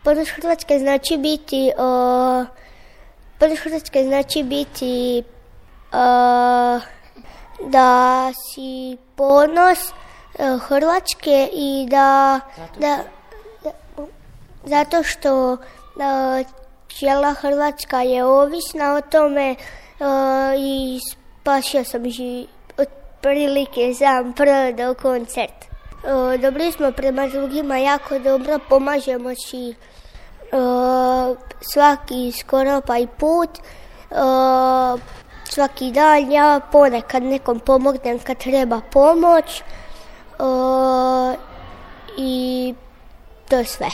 Ponos Hrvatske znači biti da si ponos Hrvatske i zato što cijela Hrvatska je ovisna o tome i spasio sam otprilike sam prodao koncert. Dobri smo prema drugima, jako dobro, pomažemo si svaki skoro pa i put, svaki dan. Ja ponekad nekom pomognem kad treba pomoć i to je sve.